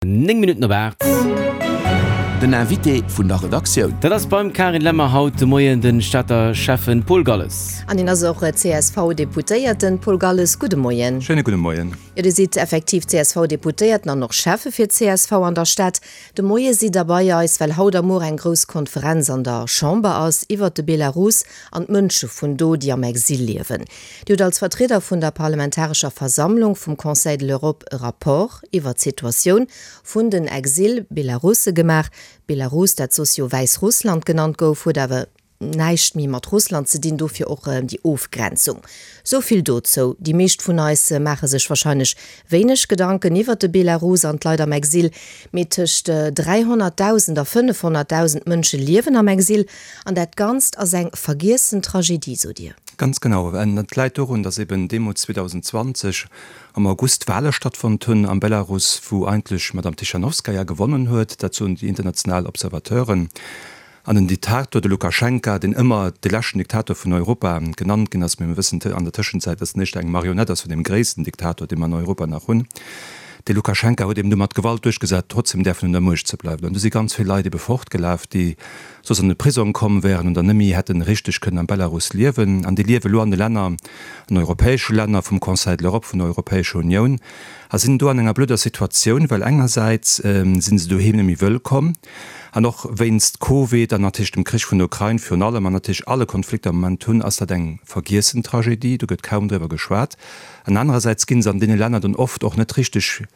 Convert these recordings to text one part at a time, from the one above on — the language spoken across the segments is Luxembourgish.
9 Minutten op 8. Den Invité vun der Redaktioun. Dat ass beim Karin Lemmer haut de Moien de Stater Schäffen Paul Galles. An hien ass och CSV-Deputéierten. Paul Galles, gudde Moien. Schéine gudde Moien. Jo, Dir sidd effektiv CSV-Deputéierten an och Schäffe fir d'CSV an der Stad. De Moie sidd Der bei eis, well haut a muer eng grouss Konferenz an der Chamber ass iwwert de Belarus an d'Mënsche vun do, déi am Exil liewen. Dir hutt als Vertrieder vun der Parlamentarescher Versammlung vum Conseil de l'Europe e Rapport iwwer d'Situatioun vun den Exil-Belarusse gemaach. Belarus, dat soss jo Wäissrussland genannt gouf, huet awer näischt méi mat Russland ze dinn, dofir och déi Ofgrenzung. Sou vill dozou. Déi meescht vun eis maache sech warscheinlech wéineg Gedanken iwwer de Belarus an d'Leit am Exil, mee tëscht 300.000 a 500.000 Mënsche liewen am Exil an dat Ganzt ass eng vergiessen Tragedie, sot Dir. Ganz genau. An dat läit dorun, datt eben deemools 2020 am August Wahle stattfonnt hunn am Belarus, wou eigentlech d'Madame Tichanowskaja gewonnen huet, dat soen déi international Observateuren, an den Diktator, de Lukaschenka, deen ëmmer de leschten Diktator vun Europa genannt ginn ass, mee mir wëssen an der Tëschenzäit, datt en éischter eng Marionett ass vun deem gréissten Diktator, dee mer an Europa nach hunn, dee Lukaschenka huet eben du mat Gewalt duerchgesat, trotzdem däerfen un der Muecht ze bleiwen. An du si ganz vill Leit ebe fortgelaf, déi soss an de Prisong komm wären oder nëmme hätten richteg kënnen am Belarus liewen. An déi liewe lo an de Länner, an europäesche Länner vum Conseil de l'Europe, vun der Europäescher Unioun, a sinn do an enger blöder Situatioun, well engersäits si se doheem net méi wëllkomm, an och wéinst Covid an natierlech dem Krich vun der Ukrain virun allem an natierlech alle Konflikter am Moment hunn, ass dat eng vergiessen Tragedie, do gëtt kaum driwwer geschwat. An anerersäits gi se an deene Länner dann oft och net richteg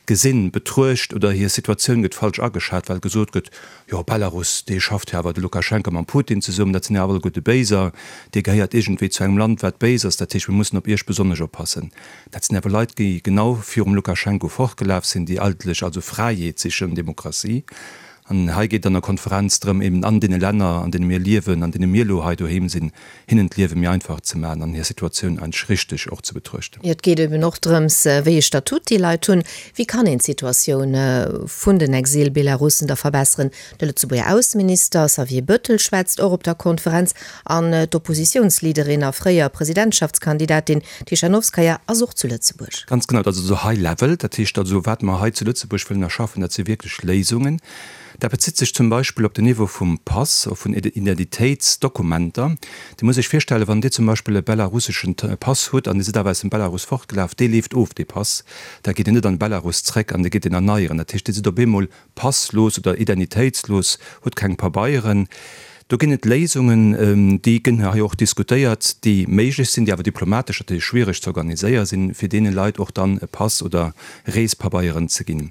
gesinn, betruecht oder hir Situatioun gëtt falsch ageschat, well gesot gëtt, jo Belarus, dee schafft jo awer de Lukaschenka mam Putin zesummen, dat sinn jo awer alleguerte Béiser, dee gehéiert iergendwéi zu engem Land wat béis ass, dat heescht mir mussen op iech besonnesch oppassen. Dat sinn awer Leit, déi genau virum Lukaschenko fortgelaf sinn, déi eigentlech also Fräiheet sichen, Demokratie. An hei geet et an der Konferenz drëm, eben an deene Länner, an deene mir liewen, an deene mir elo hei doheem sinn, hinnen d'Liewe méi einfach ze maachen an hir Situatioun eigentlech richteg och ze betruechten. Jo, et geet eben och drëms, wéi ee Statut déi Leit hunn. Wéi kann een d'Situatioun vun den Exil-Belarussen da verbesseren? De Lëtzebuerger Ausseminister Xavier Bettel schwätzt och op der Konferenz an d'Oppositiounsleaderin a fréier Presidentschaftskandidatin Tichanowskaja ass och zu Lëtzebuerg. Ganz genau, dat ass also High Level. Dat heescht also, wat mer hei zu Lëtzebuerg wëllen erschaffen, dat si wierklech Léisungen. Dat bezitt sech zum Beispill op den Niveau vum Pass, och vun Identitéitsdokumenter. Dir musst Iech virstellen, wann Dir zum Beispill e belarusseschen Pass hutt an Dir sidd awer aus dem Belarus fortgelaf, dee leeft of, dee Pass. Da geet Dir net an de Belarus zréck an Dir gitt deen erneieren. Dat heescht, Dir sidd op eemol passlos oder identitéitslos, hutt keng Pabeieren. Do ginn et Léisungen, déi gënn hei och diskutéiert, déi méiglech sinn, déi awer diplomatesch natierlech schwiereg ze organiséiere sinn, fir deene Leit och dann e Pass oder Reespabeieren ze ginn.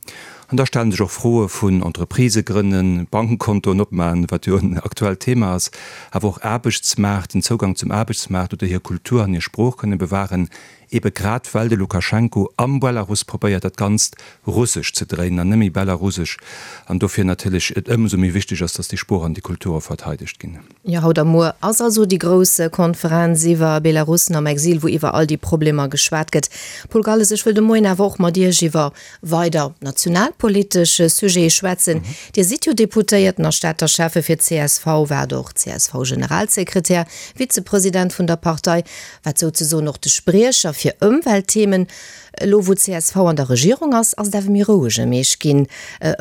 An da stelle sech och Froe vun Entreprisë grënnen, Bankkontoen opmaen, wat jo en aktuellt Thema ass, awer och Aarbechtsmaart, den Zougang zum Aarbechtsmaart oder hir Kultur an hir Sprooch kënne bewahren, ebe grad well de Lukaschenko am Belarus probéiert dat Ganzt russesch ze dréinen an net méi belarusesch, an dofir natierlech et ëmsou méi wichteg ass, datt déi Sprooch an déi Kulture verteidegt ginn. Jo, haut a muer ass also déi grouss Konferenz iwwer Belarussen am Exil, wou iwwer all déi Problemer geschwat gëtt. Paul Galles, ech wëll de Moien awer och mat Iech iwwer weider nationalpolitesch Sujete schwätzen. Dir sidd jo Deputéierten a Stater Schäffe fir d'CSV, waart och CSV-Generalsekretär, Vizepresident vun der Partei, waart souzesoen och de Spriecher fir Ëmweltthemen. Elo wou csv an der Regierung ass, ass et awer méi roueg ëm Iech ginn.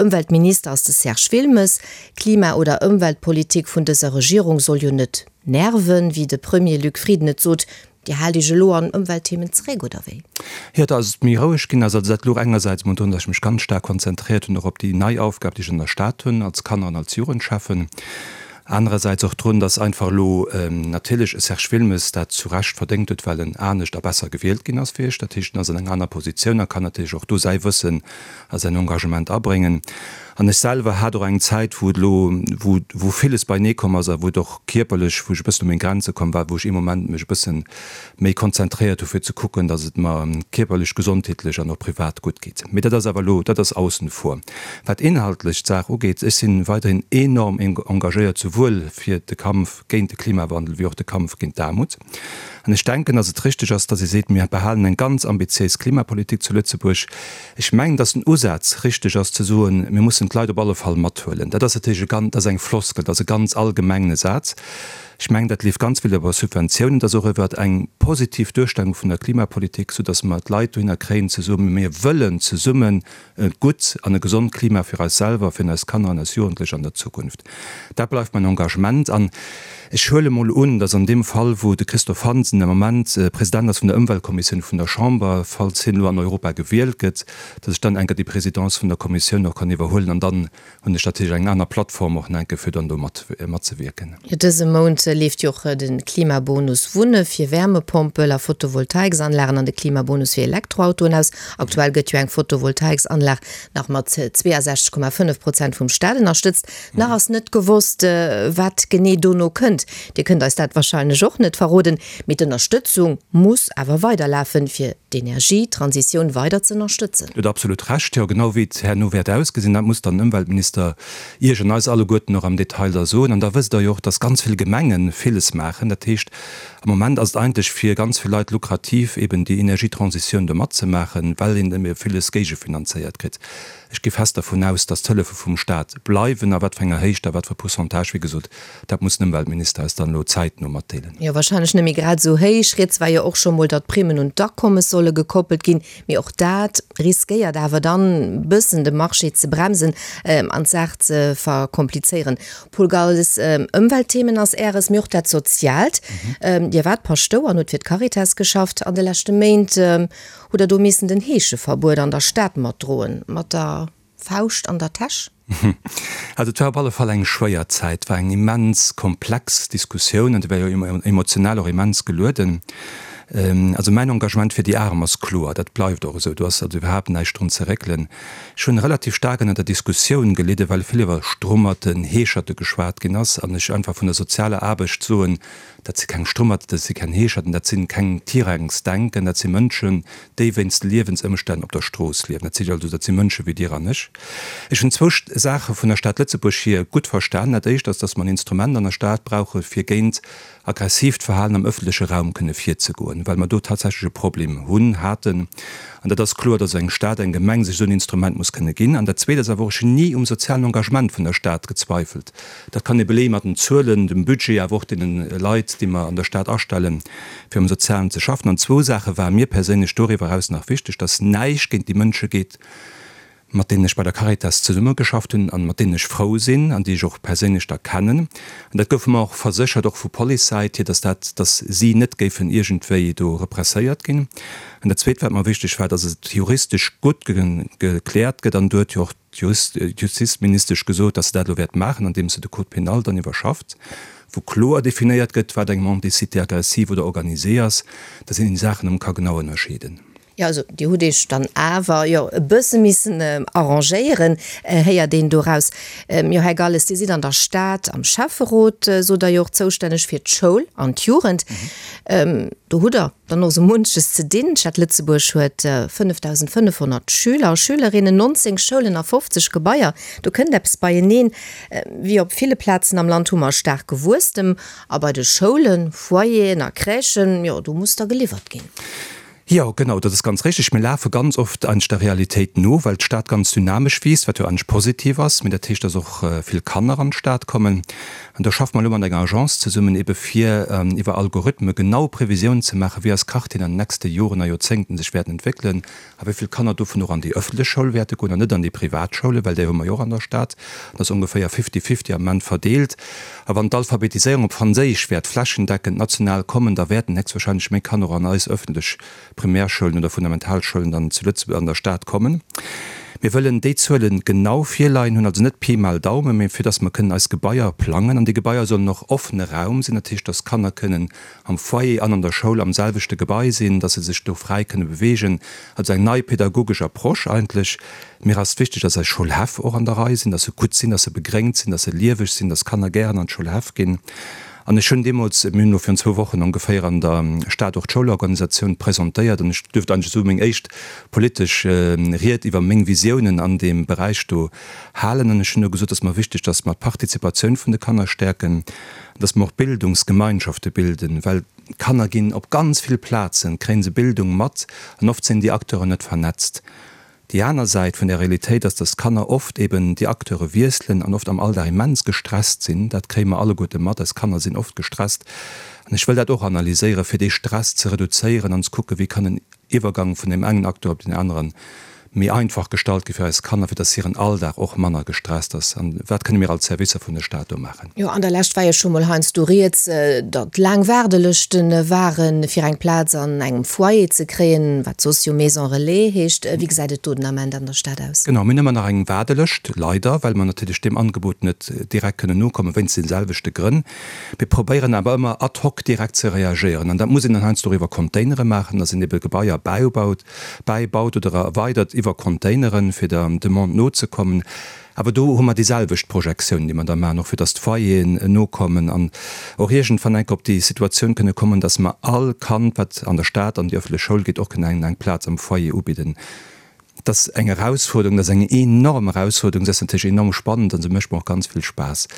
Ëmweltminister ass de Serge Wilmes. Klima oder Ëmweltpolitik vun dëser Regierung soll jo net nerven, wéi de Premier Luc Frieden et sot. Dir haalt Iech elo an Ëmweltthemen zeréck, oder wéi? Jo, dass et méi roueg ginn ass. Also dat louch engersäits emol drun, dass ech mech ganz staark konzentréiert hunn och op déi nei Aufgab, déi ech an der Stad hunn als Kanner an als Jugendschäffen. Anerersäits och drun, dass einfach elo natierlech e Serge Wilmes dat zu Recht verdéngt huet, well en anescht a besser gewielt ginn ass wéi ech. Dat heescht, en ass an enger aner Positioun a kann natierlech och do säi Wëssen a säin Engagement abréngen. An ech selwer hat och eng Zäit, wou et elo, wou, wou villes beienee komm ass a wou et och kierperlech, wou ech e bëssen u meng Grenze komm war, wou ech ee Moment mech e bësse méi konzentréiert hu fir ze kucken, datt et mer kierperlech, gesondheetlech an och privat gutt geet. Mee dat ass awer elo, dat ass aussen vor. Wat inhaltlech d'Saach ugeet, ech si weiderhin enorm engagéiert, souwuel fir de Kampf géint de Klimawandel wéi och de Kampf géint d'Aarmut. An ech denken, datt et richteg ass, datt ee seet, mir behalen eng ganz ambitiéis Klimapolitik zu Lëtzebuerg. Ech mengen, datt den Usaz richteg ass ze soen, mir mussen d'Leit op alle Fall mathuelen. Dat ass natierlech e ganz, dat ass eng Floskel, dat ass e ganz allgemengne Saz. Ech mengen, dat leeft ganz vill iwwer Subventiounen, dat ass och iwwer eng positiv Duerstellung vun der Klimapolitik, soudass mer d'Leit dohinner kréien ze soen, Mir wëllen zesummen e gutt an e gesond Klima fir eis selwer, fir eis Kanner an eis Jugendlech an der Zukunft. Dat bleift mäin Engagement. An ech huele mol un, dass an deem Fall, wou de Christophe Hansen am Moment President ass vun der Ëmweltkommissioun vun der Chamber, falls hien elo an Europa gewielt gëtt, dass ech dann enker déi Présidence vun der Kommissioun och kann iwwerhuelen an dann hunn ech natierlech eng aner Plattform och enke fir dann do mat matzewierken. Jo, dëse Mount leeft jo och de Klimabonus Wunne fir Wärmepompel a Photovoltaiksanlagen an de Klimabonus fir Elektroautoen aus. Aktuell gëtt jo eng Photovoltaiksanlag nach mat 62,5 Prozent vum Staat ënnerstëtzt. Nach ass net gewosst, wat genee dono kënnt. Dir kënnt eis dat warscheinlech och net verroden, mee d'Ënnerstëtzung muss awer weiderlafen, fir d'Energietransitioun weider z'ënnerstëtzen. Dir hutt absolut Recht. Jo, genau wéi et herno wäert ausgesinn, dat muss dann den Ëmweltminister Iech an eis alleguerten och am Detail da soen. An da wësst Der jo och, dass ganz vill Gemenge villes maachen. Dat heescht, am Moment ass et eigentlech fir ganz vill Leit lukrativ, eben déi Energietransitioun do matzemaachen, well een ebe villes géigefinanzéiert kritt. Ech gi fest dervun aus, dass d'Hëllefe vum Stat bleiwen. A wat fir enger Héicht a wat fir e Pourcentage, wéi gesot, dat muss den Ëmweltminister eis dann elo zäitno matdeelen. Jo, wahrscheinlech net méi grad esou héich. Rieds war jo och scho mol, datt d'Primmen un d'Akommes solle gekoppelt ginn. Mee och dat riskéiert awer dann bëssen de Marché ze bremsen an d'Saach ze verkomplizéieren. Paul Galles, Ëmweltthemen ass Äres, mee och dat Soziaalt. Dir waart Paschtouer an hutt fir d'Caritas geschafft. An de leschte Méint hutt Der do missen den Heescheverbuet an der Stad matdroen, mat der Fauscht an der Täsch? Also et war op alle Fall eng schwéier Zäit, et war eng immens komplex Diskussioun an déi war jo emotional och immens gelueden. Also mäin Engagement fir déi Arem ass kloer, dat bleift och esou, do ass also iwwerhaapt näischt drun ze réckelen. Ech hunn relativ staark ënner der Diskussioun gelidden, well vill iwwer Strummerten, Heescherte geschwat ginn ass an ech einfach vun der sozialer Aarbecht soen, Dat si keng Strummerten, dat si keng Heescherten, dat si keng Tirängsdenken, dat si Mënschen, déi wéinst Liewensëmstänn op der Strooss liewen. Dat si also, dat si Mënsche wéi Dir an ech. Ech hunn zwou Saache vun der Stad Lëtzebuerg hier gutt verstanen. Dat éischt ass, datt mer en Instrument an der Stad brauche fir géint aggressiivt Verhalen am ëffentleche Raum kënne virzegoen, well mer do tatsächlech e Problem hunn, haten. An dat ass kloer, datt eng Stad, eng Gemeng sech esou en Instrument muss kënne ginn. An dat Zweet ass awer och, ech hunn ni um sozialen Engagement vun der Stad gezweifelt. Dat kann ee beleeë mat den Zuelen, dem Budget, awer och deene Leit, déi mer an der Stad astellen, fir am Sozialen ze schaffen. An zwou Saache ware mir perséinlech doriwwer eraus nach wichteg, dass näischt géint déi Mënsche geet, mat deenen ech bei der Caritas zesummegeschafft hunn an mat deenen ech frou sinn an déi ech och perséinlech da kennen. An dat gouf mer och verséchert, och vu Policesäit hier, dass dat, dass si net géifen iergendwéi do represséiert ginn. An dat Zweet, wat mer wichteg war, dass et juristesch gutt gekläert gëtt, an do huet jo och d'Justizministesch gesot, dass se dat elo wäert maachen, andeems se de Code pénal dann iwwerschafft, wou kloer definéiert gëtt, wat eng Mendicité aggressive oder organisée ass, dass een déi Saachen erëm ka genau ënnerscheeden. Jo, also Dir hutt Iech dann awer jo e bësse missen arrangéieren, héiert een doraus. Jo, Här Galles, Dir sidd an der Stad am Schäfferot, sot Der jo och, zoustänneg fir d'Schoul an d'Jugend. Do hutt Der dann och sou munches ze dinn. D'Stad Lëtzebuerg huet 5.500 Schüler a Schülerinnen, 19 Schoulen a 50 Gebaier. Do kënnt eppes beieneen. Wéi op ville Plazen am Land hu mer e staarke Wuesstem. A bei de Schoulen, Foyeren a Crèchen, jo, do muss da geliwwert ginn. Jo, genau, dat ass ganz richtig. Mir lafe ganz oft eigentlech der Realitéit no, well d'Stad ganz dynamesch wiisst, wat jo eigentlech positiv ass. Mee dat heescht, dass och vill Kanner an d'Stad kommen. An do schaffe mer elo mat enger Agence zesummen, ebe fir iwwer Algorithme genau Previsiounen ze maachen, wéi eis Quartieren an den nächste Joren a Joerzéngten sech wäerten entwéckelen a wéi vill Kanner dovun och an déi ëffentlech Schoul wäerte goen an net an déi privat Schoulen, well déi hu mer jo och an der Stad. Dat ass ongeféier fifty-fifty am Moment verdeelt. A wann d'Alphabetiséierung op Franséisch wäert flächendeckend national kommen, da wäerten héchstwahrscheinlech méi Kanner och an eis ëffentlech Primärschoulen oder Fundamentalschoulen dann zu Lëtzebuerg an der Stad kommen. Mir wëllen déi Zuele genau virleien hunn, also net Pi mal Daumen, mee fir dass mer kënnen eis Gebaier plangen. An déi Gebaier sollen och offene Raum sinn, dat heescht, dass Kanner kënnen am Foyer an an der Schoul am selwechte Gebai sinn, dass se sech do fräi kënne beweegen. Also eng nei pedagogesch Approche eigentlech. Mir ass wichteg, dass eis Schoulhäff och an der Rei sinn, dass se gutt sinn, dass se begréngt sinn, dass se lieweg sinn, dass Kanner gären an d'Schoulhäff ginn. An ech hunn deemools, mir hunn elo virun zwou Wochen ongeféier an der Stad och d'Schoulorganisatioun presentéiert an ech duerft eigentlech esou meng éischt politesch Ried iwwer meng Visiounen an deem Beräich do halen. An ech hunn do gesot, et ass mer wichteg, datt mer d'Partizipatioun vun de Kanner stäerken, datt mer och Bildungsgemeinschafte bilden, well d'Kanner ginn op ganz vill Plazen, kréie se Bildung mat an oft sinn déi Acteuren net vernetzt. Déi aner Säit vun där Realitéit ass, dass d'Kanner oft eben déi Acteure wiesselen an oft am Alldag immens gestresst sinn. Dat kréie mer alleguerte mat, eis Kanner sinn oft gestresst. An ech wëll dat och analyséieren, fir dee Stress ze reduzéieren an ze kucken, wéi kann en Iwwergang vun deem engen Acteur op deen aneren méi einfach gestalt gi fir eis Kanner, fir dass hiren Alldag och manner gestresst ass. An wat kënne mir als Servicer vun de Stat do maachen? Jo, an der Lescht war jo scho mol heiansdo rieds, datt laang Waardelëschte waren, fir eng Plaz an engem Foyer ze kréien, wat soss jo Maison Relais heescht. Wéi gesäit et do den Ament an der Stad aus? Genau, mir hunn ëmmer nach eng Waardelëscht, leider, well mer natierlech deem Angebot net direkt kënnen nokommen, wéinst de selwechte Grënn. Mir probéieren awer ëmmer ad hoc direkt ze reagéieren. An dat muss een dann heiansdo och iwwer Containere maachen, dass een ebe Gebaier bäibaut, bäibaut oder erweidert iwwer Containeren, fir der Demande nozekommen. Awer do hu mer déi selwecht Projektioun, déi mer da maachen, och fir dass d'Foyeren nokommen an och iergendwann enk op déi Situatioun kënne kommen, dass mer all Kand, wat an der Stad an déi öffentlech Schoul geet, och kënnen eng Plaz am Foyer ubidden. Dat ass eng Erausfuerderung, dat ass eng enorm Erausfuerderung. Se ass natierlech enorm spannend an se mécht mer och ganz vill Spaass.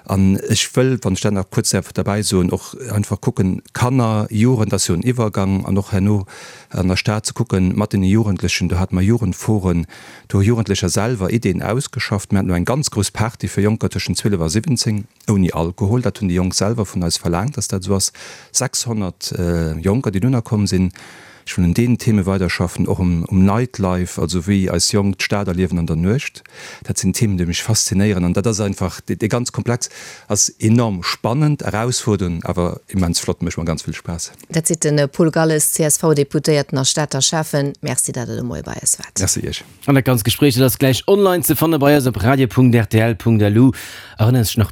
An ech wëll, wann ech dat nach kuerz däerf derbäi soen, och einfach kucken, Kanner, Jugend ass jo en Iwwergang an och herno an der Stad ze kucken mat deene Jugendlechen, do hate mer Jugendforen, do hu Jugendlecher selwer Ideen ausgeschafft. Mir haten elo eng ganz grouss Party fir Jonker tëschent 12 a 17 ouni Alkohol. Dat hunn déi Jonk selwer vun eis verlaangt, dass dat esou ass. 600 Jonker, déi dunner komm sinn. Ech wëll un deenen Theme weiderschaffen, och um Nightlife, also wéi eis Jonk d'Stad erliewen an der Nuecht. Dat sinn Themen, déi mech faszinéieren an dat ass einfach, dee ganz Komplex ass enorm spannend, erausfuerdernd, awer immens flott, mécht mer ganz vill Spaass. Dat seet de Paul Galles, CSV-Deputéierten a Stater Schäffen. Merci, datt Der de Moie bei eis waart. Merci Iech. An dat ganz Gespréich, dat ass gläich online ze fanne bei eis op radio.rtl.lu. Erënnere sech nach.